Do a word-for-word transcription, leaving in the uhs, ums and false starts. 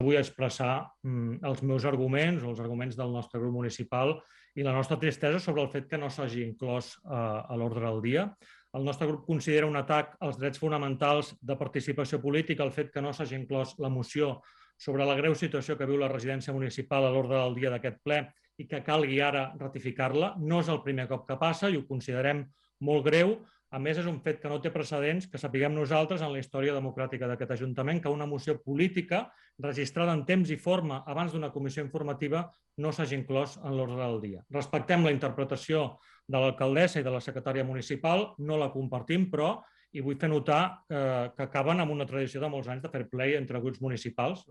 Vull expressar els meus arguments o els arguments del nostre grup municipal i la nostra tristesa sobre el fet que no s'hagi inclòs a l'ordre del dia. El nostre grup considera un atac als drets fonamentals de participació política el fet que no s'hagi inclòs la moció sobre la greu situació que viu la residència municipal a l'ordre del dia d'aquest ple i que calgui ara ratificar-la. No és el primer cop que passa i ho considerem molt greu. A més, és un fet que no té precedents, que sapiguem nosaltres en la història democràtica d'aquest Ajuntament, que una moció política registrada en temps i forma abans d'una comissió informativa no s'hagi inclòs en l'ordre del dia. Respectem la interpretació de l'alcaldessa i de la secretària municipal, no la compartim, però, i vull fer notar que acaben amb una tradició de molts anys de fair play entre grups municipals.